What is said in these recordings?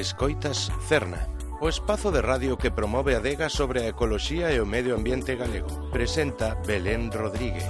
Escoitas Cerna, o espazo de radio que promove a adega sobre a ecoloxía e o medio ambiente galego. Presenta Belén Rodríguez.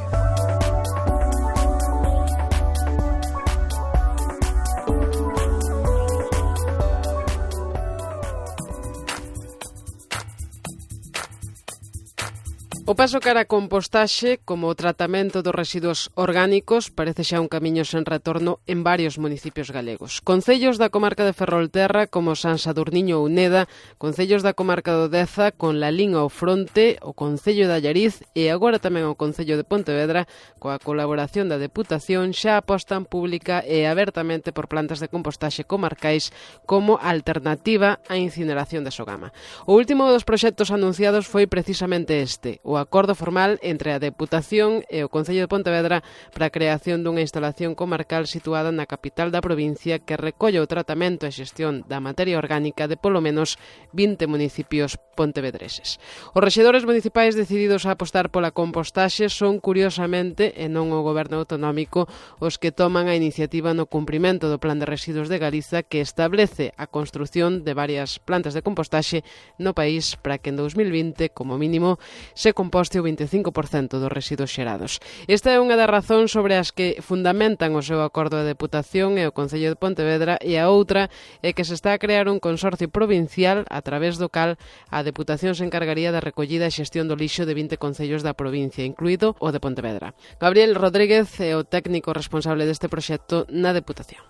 O paso cara a compostaxe, como o tratamento dos residuos orgánicos, parece xa un camiño sen retorno en varios municipios galegos. Concellos da comarca de Ferrolterra, como San Sadurniño ou Neda, concellos da comarca do Deza, con Lalín ao fronte, o Concello de Allariz e agora tamén o Concello de Pontevedra, coa colaboración da Deputación, xa apostan pública e abertamente por plantas de compostaxe comarcais como alternativa á incineración de Sogama. O último dos proxectos anunciados foi precisamente este, o acordo formal entre a Deputación e o Concello de Pontevedra para a creación dunha instalación comarcal situada na capital da provincia que recolle o tratamento e xestión da materia orgánica de polo menos 20 municipios pontevedreses. Os rexedores municipais decididos a apostar pola compostaxe son, curiosamente, e non o goberno autonómico, os que toman a iniciativa no cumprimento do Plan de Residuos de Galiza que establece a construción de varias plantas de compostaxe no país para que en 2020, como mínimo, se composte o 25% dos residuos xerados. Esta é unha das razóns sobre as que fundamentan o seu acordo de Deputación e o Concello de Pontevedra, e a outra é que se está a crear un consorcio provincial a través do cal a Deputación se encargaría da recollida e xestión do lixo de 20 concellos da provincia, incluído o de Pontevedra. Gabriel Rodríguez é o técnico responsable deste proxecto na Deputación.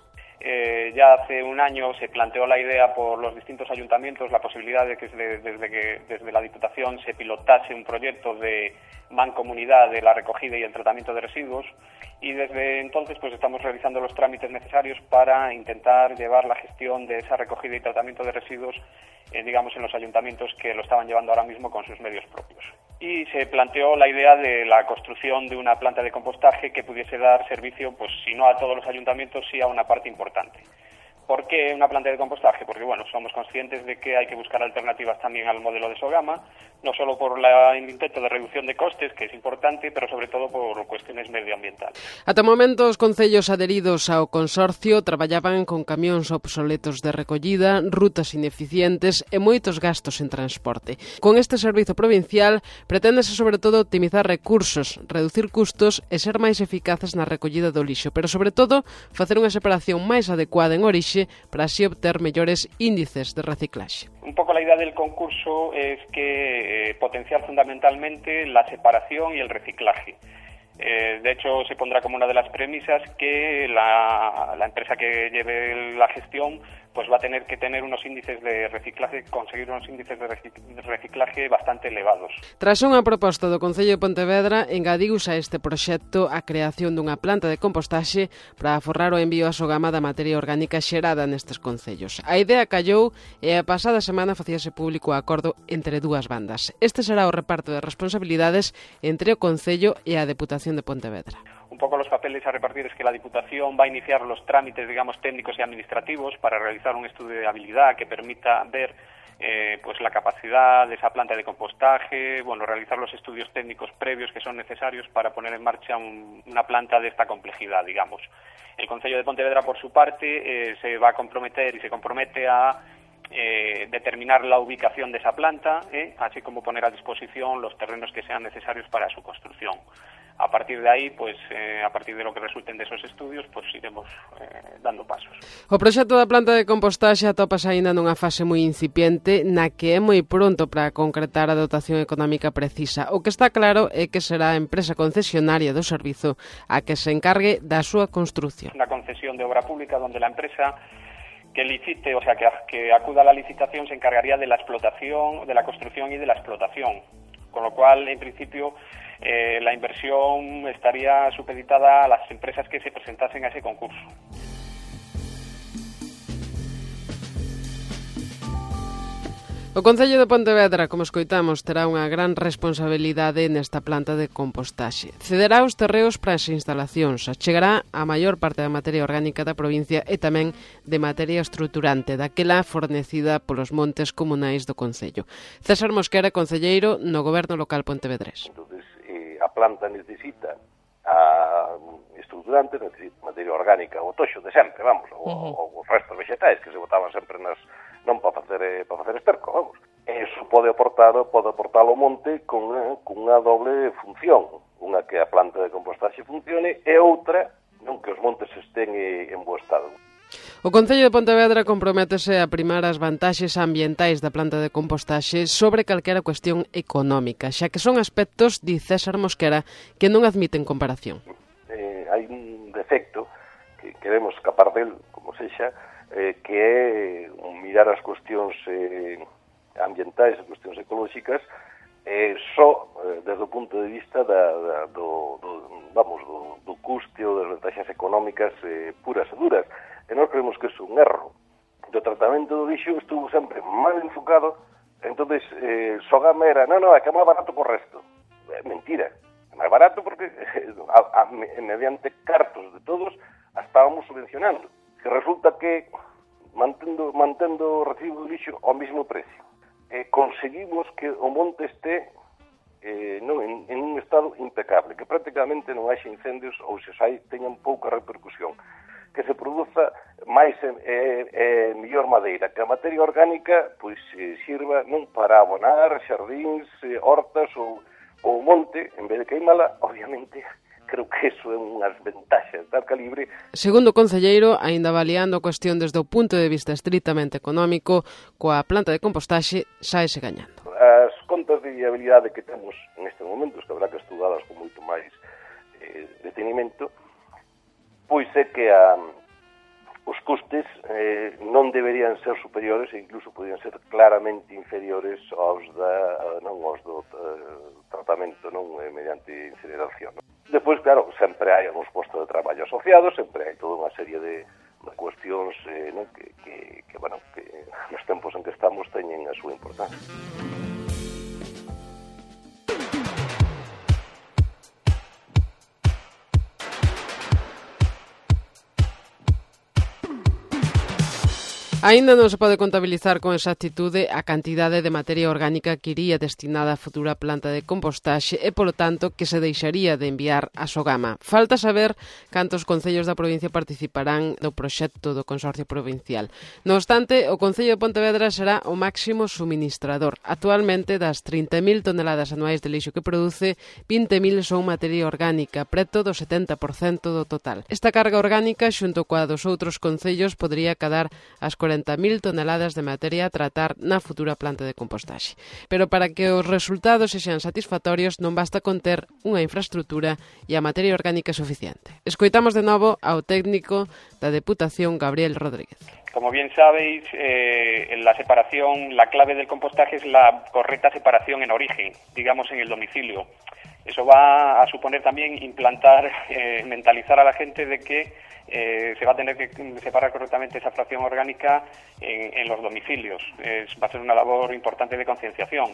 Ya hace un año se planteó la idea por los distintos ayuntamientos, la posibilidad de que desde la Diputación se pilotase un proyecto de mancomunidad de la recogida y el tratamiento de residuos, y desde entonces pues estamos realizando los trámites necesarios para intentar llevar la gestión de esa recogida y tratamiento de residuos digamos en los ayuntamientos que lo estaban llevando ahora mismo con sus medios propios. Y se planteó la idea de la construcción de una planta de compostaje que pudiese dar servicio, pues si no a todos los ayuntamientos, sí a una parte importante. ¿Por qué una planta de compostaje? Porque bueno, somos conscientes de que hay que buscar alternativas también al modelo de Sogama, no solo por el intento de reducción de costes, que es importante, pero sobre todo por cuestiones medioambientales. Ata o momento, os concellos adheridos ao consorcio traballaban con camións obsoletos de recollida, rutas ineficientes e moitos gastos en transporte. Con este servizo provincial, preténdese sobre todo optimizar recursos, reducir custos e ser máis eficaces na recollida do lixo, pero sobre todo facer unha separación máis adecuada en orixe para así obter mellores índices de reciclaxe. Un poco la idea del concurso es que potenciar fundamentalmente la separación y el reciclaje. De hecho, se pondrá como una de las premisas que la empresa que lleve la gestión pues va a tener que tener unos índices de reciclaje, conseguir unos índices de reciclaje bastante elevados. Tras unha proposta do Concello de Pontevedra, engadiuse a este proxecto a creación dunha planta de compostaxe para aforrar o envío a Sogama da materia orgánica xerada nestes concellos. A idea callou e a pasada semana facíase público o acordo entre dúas bandas. Este será o reparto de responsabilidades entre o Concello e a Deputación de Pontevedra. Un poco los papeles a repartir es que la Diputación va a iniciar los trámites, digamos, técnicos y administrativos para realizar un estudio de habilidad que permita ver pues la capacidad de esa planta de compostaje, bueno, realizar los estudios técnicos previos que son necesarios para poner en marcha una planta de esta complejidad, digamos. El Concello de Pontevedra, por su parte, se va a comprometer y se compromete a determinar la ubicación de esa planta, así como poner a disposición los terrenos que sean necesarios para su construcción. A partir de aí, pues, a partir de lo que resulten de esos estudios, pues iremos dando pasos. O proxecto da planta de compostaxe atopas aínda nunha fase moi incipiente na que é moi pronto para concretar a dotación económica precisa. O que está claro é que será a empresa concesionaria do servizo a que se encargue da súa construción. Una concesión de obra pública donde la empresa que licite, o sea, que acuda a la licitación se encargaría de la explotación, de la construcción y de la explotación. Con lo cual, en principio, la inversión estaría supeditada a las empresas que se presentasen a ese concurso. O Concello de Pontevedra, como escoitamos, terá unha gran responsabilidade nesta planta de compostaxe. Cederá os terreos para as instalacións, achegará a maior parte da materia orgánica da provincia e tamén de materia estruturante, daquela fornecida polos montes comunais do Concello. César Mosquera, concelleiro no Goberno Local pontevedrés. Entonces, a planta necesita a estruturantes, materia orgánica, o toxo de sempre, vamos, os restos vegetais que se botaban sempre non para facer esterco, vamos. Eso pode aportar ao monte con unha doble función, unha que a planta de compostaxe funcione e outra non que os montes estén en bo estado. O Concello de Pontevedra comprométese a primar as vantaxes ambientais da planta de compostaxe sobre calquera cuestión económica, xa que son aspectos, di César Mosquera, que non admiten comparación. Hai un defecto que queremos escapar del, como sexa, que é mirar as cuestións ambientais, as cuestións ecolóxicas, só desde o punto de vista do custe ou das vantaxes económicas puras e duras. E nós creemos que é un erro. O tratamento do lixo estuvo sempre mal enfocado, entonces Sogama era, é que é máis barato que o resto. Mentira, é máis barato porque mediante cartos de todos a estábamos subvencionando. Que resulta que mantendo o recibo do lixo ao mesmo precio. Conseguimos que o monte este en un estado impecable, que prácticamente non haxe incendios ou se hai teñan pouca repercusión, que se produza máis mellor madeira, que a materia orgánica pois sirva non para abonar xardíns, hortas ou monte, en vez de queimala, obviamente. Creo que eso é unhas ventaxas tal calibre. Segundo o concelleiro, aínda avaliando a cuestión desde o punto de vista estritamente económico, coa planta de compostaxe saese gañando. As contas de viabilidade que temos neste momento, que habrá que estudalas con moito máis detenimento, pois é que os custes non deberían ser superiores e incluso podrían ser claramente inferiores aos do tratamento mediante incineración. Despois, claro, sempre hai uns postos de traballo asociados, sempre hai toda unha serie de cuestións que nos tempos en que estamos teñen a súa importancia. Aínda non se pode contabilizar con exactitude a cantidade de materia orgánica que iría destinada á futura planta de compostaxe e, polo tanto, que se deixaría de enviar a Sogama. Falta saber cantos concellos da provincia participarán no proxecto do Consorcio Provincial. No obstante, o Concello de Pontevedra será o máximo suministrador. Actualmente, das 30.000 toneladas anuais de lixo que produce, 20.000 son materia orgánica, preto do 70% do total. Esta carga orgánica, xunto coa dos outros concellos, podría cadar as 40.000 toneladas de materia a tratar na futura planta de compostaxe. Pero para que os resultados sexan satisfactorios non basta con ter unha infraestructura e a materia orgánica suficiente. Escoitamos de novo ao técnico da Deputación, Gabriel Rodríguez. Como bien sabéis, la separación, la clave del compostaje es la correcta separación en origen, digamos en el domicilio. Eso va a suponer también implantar, mentalizar a la gente de que se va a tener que separar correctamente esa fracción orgánica en los domicilios. Va a ser una labor importante de concienciación.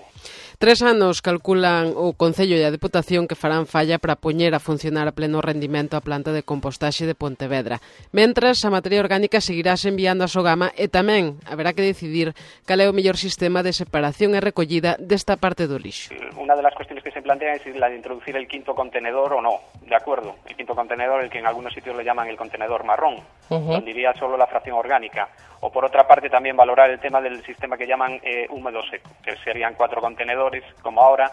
3 anos calculan o Concello e a Deputación que farán falla para poñer a funcionar a pleno rendimento a planta de compostaxe de Pontevedra. Mentras, a materia orgánica seguirás enviando a Sogama e tamén haberá que decidir cal é o mellor sistema de separación e recollida desta parte do lixo. Una de las cuestiones que se plantean es la de introducir el quinto contenedor o no, ¿de acuerdo? El quinto contenedor, el que en algunos sitios le llaman el contenedor marrón, donde iría solo la fracción orgánica. O por otra parte también valorar el tema del sistema que llaman húmedo seco, que serían 4 contenedores como ahora,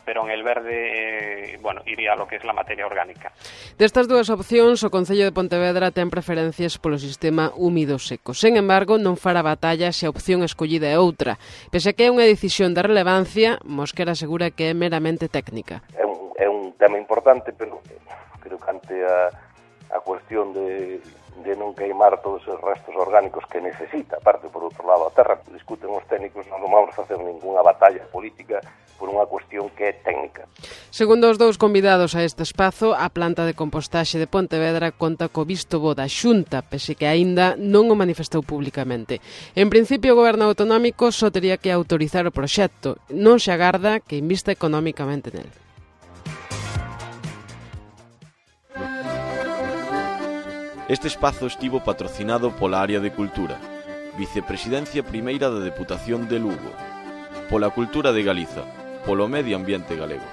pero en el verde, iría a lo que es la materia orgánica. Destas dúas opcións, o Concello de Pontevedra ten preferencias polo sistema húmido seco. Sen embargo, non fará batalla se a opción escollida é outra. Pese a que é unha decisión de relevancia, Mosquera asegura que é meramente técnica. É un tema importante, pero creo que ante a cuestión de non queimar todos os restos orgánicos que necesita, aparte, por outro lado, a terra, discuten os técnicos, non vamos a facer ninguna batalla política por unha cuestión que é técnica. Segundo os dous convidados a este espazo, a planta de compostaxe de Pontevedra conta co visto bo da Xunta, pese que aínda non o manifestou públicamente. En principio, o Goberno autonómico só tería que autorizar o proxecto, non se agarda que invista económicamente nel. Este espazo estivo patrocinado pola Área de Cultura, Vicepresidencia Primeira da Deputación de Lugo, pola Cultura de Galiza, polo Medio Ambiente Galego.